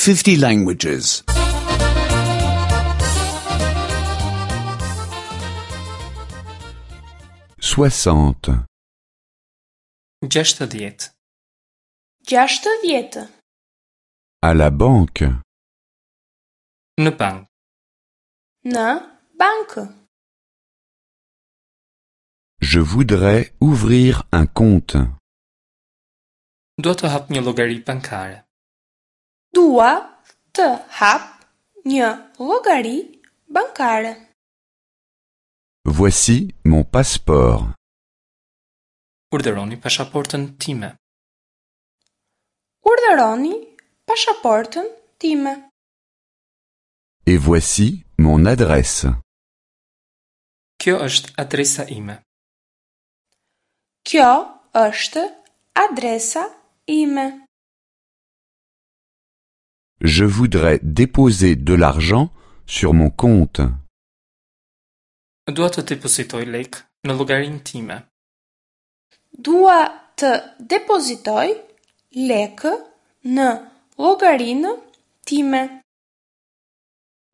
50 languages. 60. 60. 60. À la banque. Në bank. Në bankë. Je voudrais ouvrir un compte. Dua të hap një llogari bankare. Dua të hap një llogari bankare. Voici mon passeport. Urdhëroni pasaportën time. Urdhëroni pasaportën time. Et voici mon adresse. Kjo është adresa ime. Kjo është adresa ime. Je voudrais déposer de l'argent sur mon compte. Dua të depozitoj lek në llogarinë time. Dua të depozitoj lekë në llogarinë time.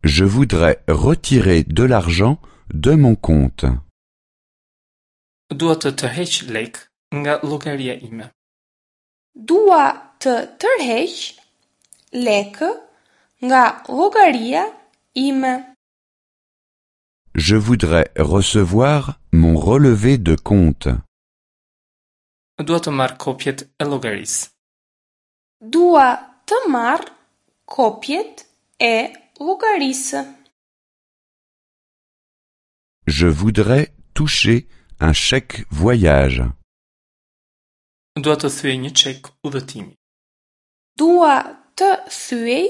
Je voudrais retirer de l'argent de mon compte. Dua të tërheq lek nga llogaria ime. Dua të tërheq lekë nga llogaria ime. Je voudrais recevoir mon relevé de compte. Dua të marr kopjet e llogarisë. Dua të marr kopjet e llogarisë. Je voudrais toucher un chèque voyage. Dua të thyej një çek udhëtimi. Dua të thyej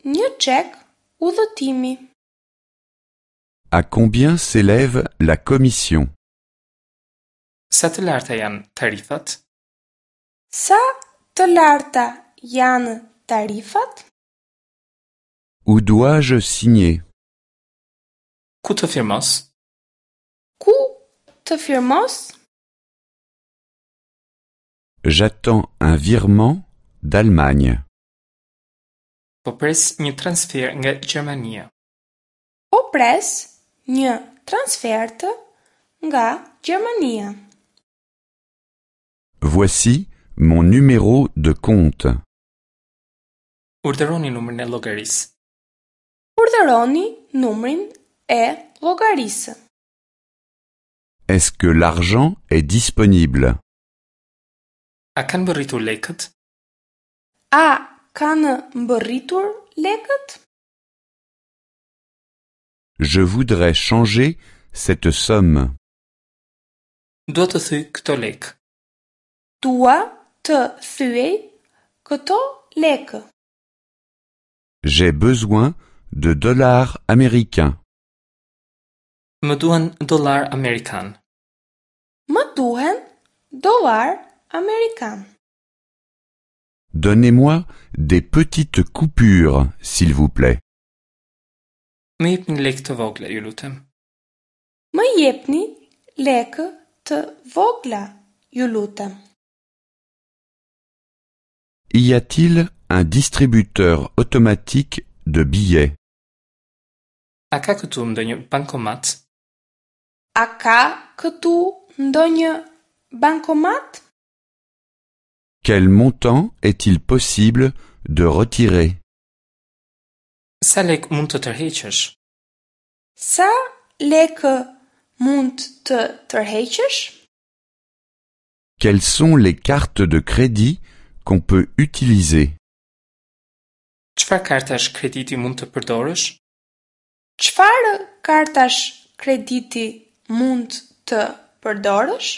një çek udhëtimi. À combien s'élève la commission? Sa të larta janë tarifat? Sa të larta janë tarifat? Où dois-je signer? Ku të firmos? Ku të firmos? J'attends un virement d'Allemagne. Po pres një transfer nga Gjermania. Po pres një transfertë nga Gjermania. Voici mon numéro de compte. Urdhëroni numrin e llogarisë. Urdhëroni numrin e llogarisë. Est-ce que l'argent est disponible? A kanë mbërritur lekët? A kanë mbërritur lekët? Je voudrais changer cette somme. Dua të thyej këto lekë. Dua të thyej këto lekë. J'ai besoin de dollars américains. Më duhen dollar amerikan. Më duhen dollar amerikan. Donnez-moi des petites coupures, s'il vous plaît. Më jepni lekë të vogla, ju lutem. Më jepni lekë të vogla, ju lutem. Y a-t-il un distributeur automatique de billets? A ka këtu ndonjë bankomat? A ka këtu ndonjë bankomat? Quel montant est-il possible de retirer? Sa lek mund të tërheqësh? Sa lekë mund të tërheqësh? Quelles sont les cartes de crédit qu'on peut utiliser? Çfarë kartash krediti mund të përdorësh? Çfarë kartash krediti mund të përdorësh?